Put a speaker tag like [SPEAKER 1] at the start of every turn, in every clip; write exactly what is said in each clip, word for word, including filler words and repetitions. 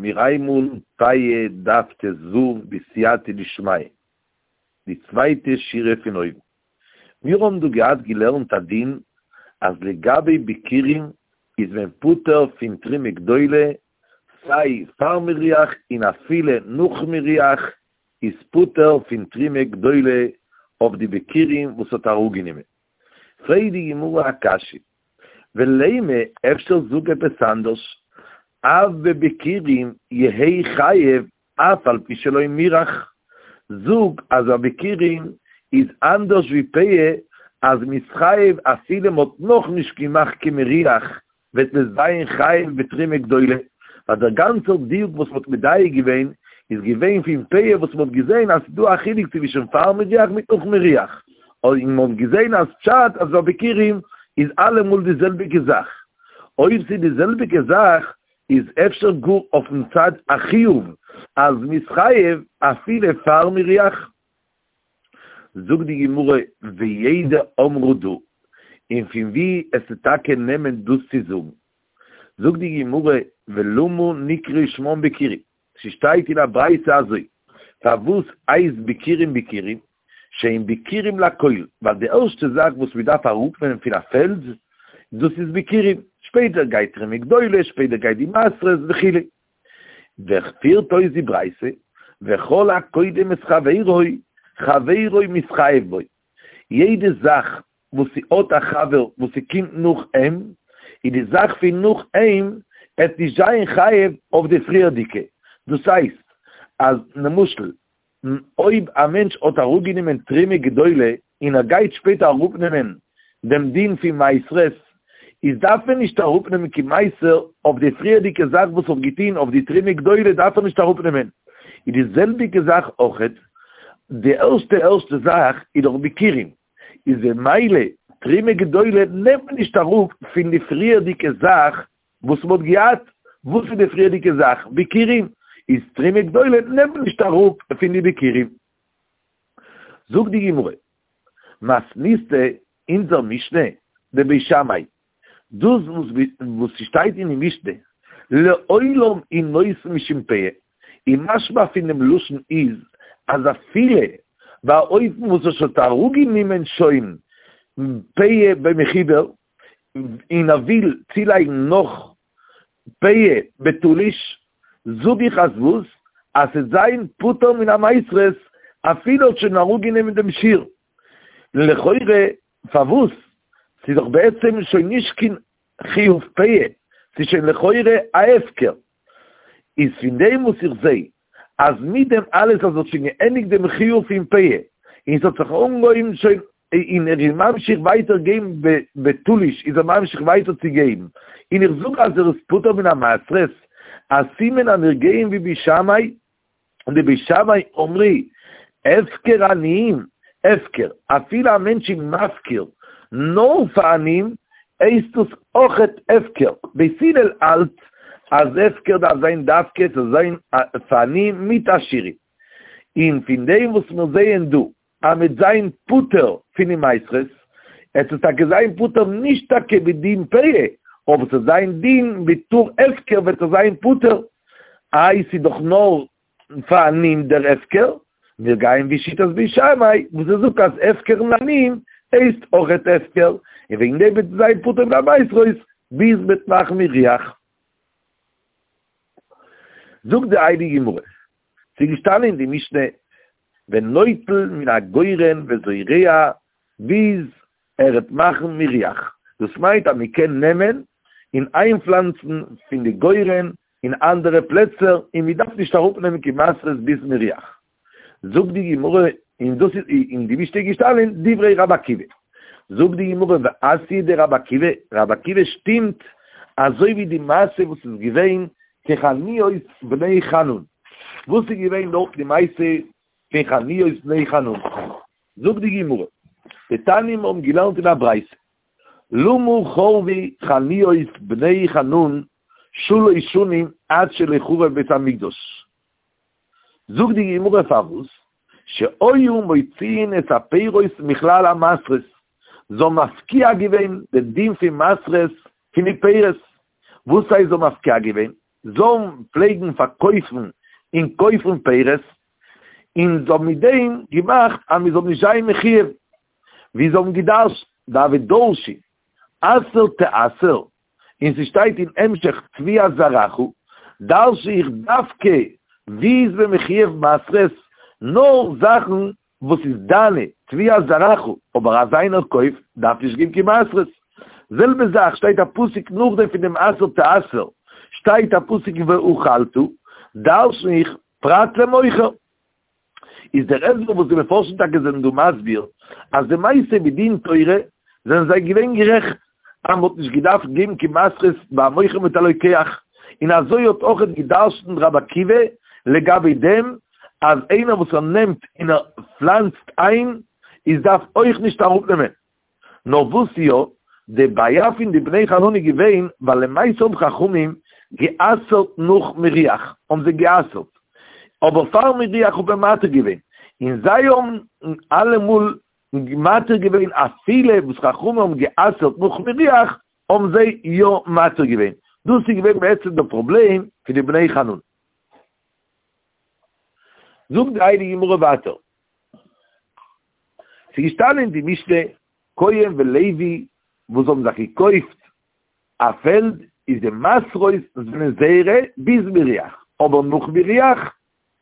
[SPEAKER 1] מיר הייבן אן פאה דף ט"ו בסייעתא דשמיא, די צווייטע שורה פון אויבן. מיר האבן דא געהאט געלערנט א דין אז לגבי ביכורים איז מען פטור פון תרומה גדולה סיי פאר מירוח און אפילו נאך מירוח איז פטור פון תרומה גדולה אויף די ביכורים וואס האט אראפגענומען. פרעגט די גמרא א קשיא, ולימא אפשר זאג עפעס אנדערש, אף בביכורים יהא חייב אף על פי שלא מירח, זאג אז א ביכורים איז אנדערש ווי פאה אז מ'איז חייב אפילו מ'האט נאכנישט געמאכט קיין מירוח וועט מען זיין חייב בתרומה גדולה, ווייל דער גאנצער דיוק וואס מ'האט מדייק געווען איז געווען פון פאה וואס מ'האט געזען אז ס'דא א חילוק צווישן פאר מירוח מיט נאך מירוח, און מ'האט געזען אז פשט אז ביי ביכורים איז אלעמאל די זעלביגע זאך. אויב ס'איז די זעלביגע זאך איז אפשר גאר אויפן צד החיוב אז מ'איז חייב אפילו פאר מירוח? זאגט די גמרא ויידע אמרה דא, און פון וואו עסטו טאקע נעמען דאס צו זאגן? זאגט די גמרא ולמה נקרא שמם ביכורים, ס'שטייט אין א ברייתא אזוי, פארוואס הייסט ביכורים ביכורים? שהן ביכורים לכל, ווייל די ערשטע זאך וואס מ'דארף אראפנעמען פון א פעלד, דאס איז ביכורים, שפעטער גייט תרומה גדולה, שפעטער גייט די מעשרות וכו'. ווער פירט אויס די ברייתא, וכל הקודם את חברו, חברו מתחייב בו, יעדע זאך וואס ס'האט א חבר וואס ס'קומט נאך אים, איז די זאך פון נאך אים עט נישט זיין חייב אויף די פריערדיגע, דאס הייסט אז למשל אויב א מענטש האט אראפגענומען תרומה גדולה און ער גייט שפעטער אראפנעמען דעם דין פון מעשרות, איז דארף מען נישט אראפנעמען קיין מעשר אויף די פריערדיגע זאך וואס האט געטון, אויף די תרומה גדולה דארף ער נישט אראפנעמען. איז די זעלביגע זאך אויכעט, די ערשטע ערשטע זאך איז דאך ביכורים, איז במילא תרומה גדולה נעמט מען נישט אראפ פון די פריערדיגע זאך וואס מ'האט געהאט, וואס איז די פריערדיגע זאך? ביכורים, איז תרומה גדולה נעמט מען נישט אראפ פון די ביכורים. זאגט די גמרא, מתניתא, אונזער משנה, דבית שמאי, דאס וואס ס'שטייט אין די משנה, לעולם הוא נותן משום פאה, און משמע פון דעם לשון איז אז אפילו ביי א אופן וואס ער האט אראפגענומען שוין פאה במחובר, און ער וויל צולייגן נאך פאה בתלוש, זאג איך אז וואס? אז ס'עט זיין פטור מן המעשרות אפילו האט שוין אראפגענומען דעם שיעור. לכאורה פארוואס? ס'איז דאך בעצם שוין נישט קיין חיוב פאה, ס'איז שוין לכאורה א הפקר. איז פון דעם וואס איך זע אז מיט דעם אלעס אז האט שוין געענדיגט דעם חיוב פון פאה, און ס'האט זיך אנגעהויבן שוין, און ער איז ממשיך ווייטער געבן בתלוש איז ער ממשיך ווייטער צו געבן, און איך זאג אז ער איז פטור מן המעשרות, א סימן אז מיר גייען ווי בית שמאי, און די בית שמאי אמרי, הפקר עניים, הפקר, אפילו א מענטש איז מפקיר נאר פאר עניים, הייסט דאס אויכעט הפקר, בית הלל האלט אז הפקר דארף זיין דווקא ס'זאל זיין פאר עניים מיט עשירים, און פון דעם וואס מיר זעען דא אז מ'עט זיין פטור פון די מעשרות, עט עס טאקע זיין פטור נישט טאקע בדין פאה, אבער ס'עט זיין דין בתור הפקר וועט עס זיין פטור, איי ס'איז דאך נאר פאר עניים דער הפקר, מיר גייען ווי שיטת בית שמאי וואס ער זאגט אז הפקר לעניים הייסט אויכעט הפקר, און וועגן דעם וועט עס זיין פטור מן המעשרות ביז מ'עט מאכן מירוח. זאגט די הייליגע גמרא, ס'איז געשטאנען אין די משנה ונוטל מן הגורן וזורע ביז ער וועט מאכן מירוח, דאס מיינט אז מען קען נעמען און איינפלאנצן פון די גורן אין אנדערע פלעצער און מען דארף נישט אראפנעמען קיין מעשרות ביז מירוח. זאגט די גמרא, און דאס איז אין די משנה געשטאנען דברי רבי עקיבא. זאגט די גמרא ואתיא דרבי עקיבא, רבי עקיבא שטימט אזוי ווי די מעשה וואס איז געווען כחניות בני חנון. וואס איז געווען דארט די מעשה פון חניות בני חנון? זאגט די גמרא, דתניא מיר האבן געלערנט אין א ברייתא, למה חרבו חניות בני חנון שלש שנים עד שלא חרב בית המקדש? זאגט די גמרא פארוואס, שהיו מוציאין את הפירות מכלל המעשרות, זיי האבן מפקיע געווען די דין פון מעשרות פון די פירות, וואס הייסט זיי האבן מפקיע געווען? זאלן פלעגן פארקויפן און קויפן פירות, און זיי האבן מיט דעם געמאכט אז מען זאל נישט זיין מחויב, ווי זיי האבן געדרש'ט, דהוו דרשי, עשר תעשר, און ס'שטייט אין המשך תבואת זרעך, דרש איך דווקא ווי איז מען מחויב מעשרות, נאר זאכן וואס איז דיינע, תבואת זרעך, אבער אז איינער קויפט דארף נישט געבן קיין מעשרות. זעלבע זאך שטייט א פסוק נאכדעם פון דעם עשר תעשר, שטייט א פסוק ואכלת, דרשן איך פרט למוכר. איז דער הסבר וואס די מפרשים טאקע זענען דא מסביר, אז למעשה מדין תורה זענען זיי געווען גערעכט אז מ'האט נישט געדארפט געבן קיין מעשרות ביי א מוכר מיט א לוקח, און אזוי האט אויכעט גע'דרש'נט רבי עקיבא לגבי דעם אז איינער וואס ער נעמט און ער פלאנצט איין איז דארף אויך נישט אראפנעמען. נאר וואס יא, די בעיה פון די בני חנוני איז געווען ווייל למעשה האבן חכמים גע'אסר'ט נאך מירוח, האבן זיי גע'אסר'ט, אבער פאר מירוח האט מען מתיר געווען, און זיי האבן אלעמאל מתיר געווען אפילו וואס חכמים האבן גע'אסר'ט נאך מירוח האבן זיי יא מתיר געווען, דאס איז געווען בעצם די פראבלעם פון די בני חנוני. זאגט די הייליגע גמרא ווייטער. ס'איז געשטאנען אין די משנה, כהן ולוי וואס האבן זיך געקויפט א פעלד, איז די מעשרות זענען זייערע ביז מירוח, אבער נאך מירוח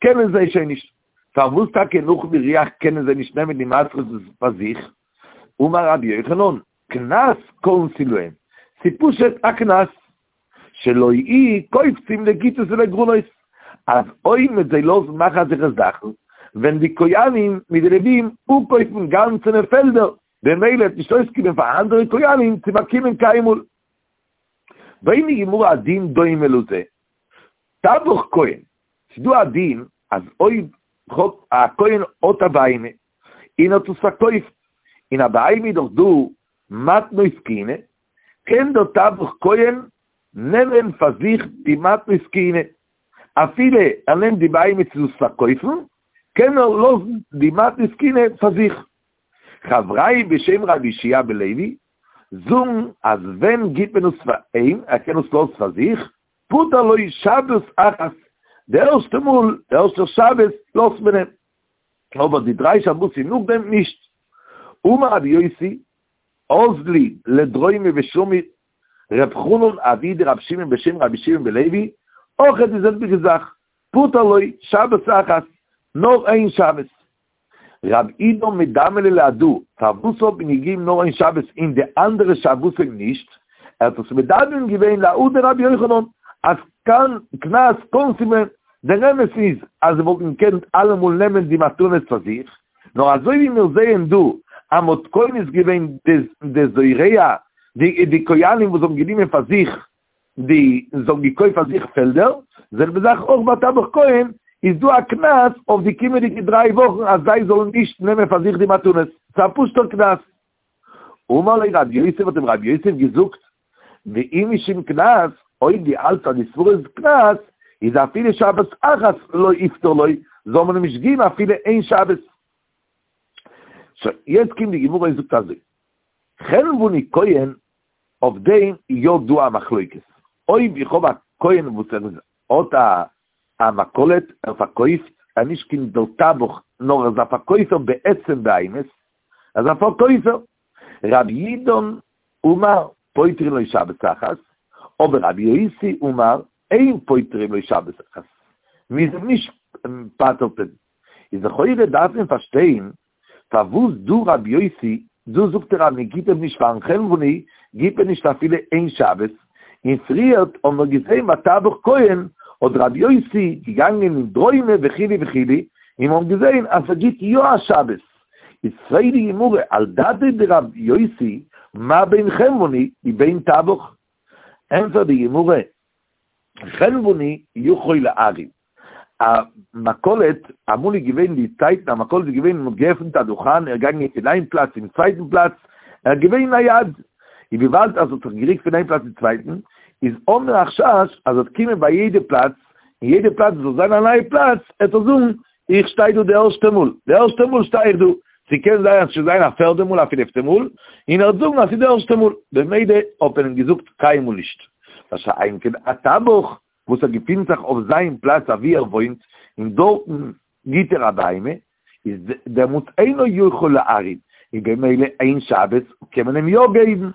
[SPEAKER 1] קענען זיי שוין נישט. פארוואס טאקע נאך מירוח קענען זיי נישט נעמען די מעשרות פאר זיך? אמר רבי יוחנן, קנס קנסו להם, ס'איז פשוט א קנס. שלא יהו קופצים לגיתות ולגרונות, אז אויב מ'וועט זיי לאזן מאכן אזעלכע זאכן, וועלן די כהנים מיט די לווים אפקויפן גאנצענע פעלדער, במילא וועט נישט אויסקומען פאר אנדערע כהנים צו באקומען קיינמאל. ברענגט די גמרא א דין דומה לזה, טבח כהן, ס'איז דא א דין אז אויב א כהן האט א בהמה און האט עס פארקויפט, אין א בהמה איז דאך דא מתנות כהונה, קען דער טבח כהן נעמען פאר זיך די מתנות כהונה, אפילו ער נעמט די בהמה צו דאס פארקויפן, קען ער לאזן די מתנות כהונה פאר זיך. חברייא בשם רבי יהושע בן לוי זאגן אז ווען גיט מען עס פאר אים, ער קען עס לאזן פאר זיך, פטר לו שבת אחת, די ערשטע מאל, די ערשטע שבת לאזט מען אים, אבער די דריי שבתים נאכדעם נישט. אמר רבי יוסי, אזלי לדרומי ושמעי ר' חנן אבוה דרבי שמעון בשם רבי שמעון בן לוי, אויכעט די זעלביגע זאך, פטר לו שבת אחת, נאר איין שבת. רב אידא מדמי ליה להדא, פארוואס האט מען געגעבן נאר איין שבת און די אנדערע שבתים נישט? ער האט עס מדמה געווען להא דרבי יוחנן, אז קנס קנסו להם, דער אמת איז אז זיי וואלטן געקענט אלעמאל נעמען די מתנות פאר זיך, נאר אזוי ווי מיר זעען דא אז מ'האט קונס געווען די זורע, די כהנים וואס האבן גענומען פאר זיך די, זיי האבן געקויפט פאר זיך פעלדער, זעלבע זאך אויך ביי טבח כהן, איז דא א קנס אויף די קומענדיגע דריי וואכן אז זיי זאלן נישט נעמען פאר זיך די מתנות, ס'איז א פשוט'ער קנס. אמר ליה רב יוסף האט אים רב יוסף געזאגט, ואי משום קנס, אויב דו האלטסט אז די סברא איז קנס, איז אפילו שבת אחת לא יפטר לו, זאל מען אים נישט געבן אפילו איין שבת. שוין, יעצט קומט די גמרא און זאגט אזוי, חנווני כהן, אויף דעם איז יא דא א מחלוקת, אויב איך האב א כהן וואס ער איז האט א א מכולת, ער פארקויפט, ער איז נישט קיין בעל טבח, נאר ער איז א פארקויפער בעצם בהמות, ער איז א פארקויפער, רב יודן אמר פוטרין לו שבת אחת, אבער רבי יוסי אמר אין פוטרין לו שבת אחת, מ'איז אים נישט פטר'ט אים, איז לכאורה דארף מען פארשטיין פארוואס דא רבי יוסי, דא זאגט ער אז מען גיט אים נישט פארן חנווני גיט מען נישט אפילו איין שבת, און פריערט האבן מיר געזען ביי טבח כהן האט רבי יוסי געגאנגען אין דרומי וכו' וכו', און מיר האבן געזען אז ער גיט יא א שבת, איז פרעגט די גמרא על דעתיה דרבי יוסי מה בין חנווני ובין טבח? ענפערט די גמרא, חנווני יכול להרעים, א מכולת, אמאל איז געווען די צייטן א מכולת איז געווען מ'האט געעפנט א דוכן ער איז געגאנגען פון איין פלאץ צום צווייטן פלאץ, ער איז געווען נייד, און וויבאלד אז ער האט זיך געריקט פון איין פלאץ צום צווייטן, איז האבן מיר א חשש אז ער וועט קומען ביי יעדע פלאץ, און יעדע פלאץ זאל זיין א נייע פלאץ, ער וועט זאגן איך שטיי דא די ערשטע מאל, די ערשטע מאל שטיי איך דא, ס'קען זיין אז ס'זאל זיין א פערדע מאל א פינפטע מאל, און ער וועט זאגן אז ס'איז די ערשטע מאל, במילא האט מען אים געזאגט קיינמאל נישט, מה שאין כן א טבח, וואס ער געפינט זיך אויף זיין פלאץ אוואו ער וואוינט, און דארטן גיט ער א בהמה, איז דעמאלטס אינו יכול להרים, און במילא איין שבת קען מען אים יא געבן.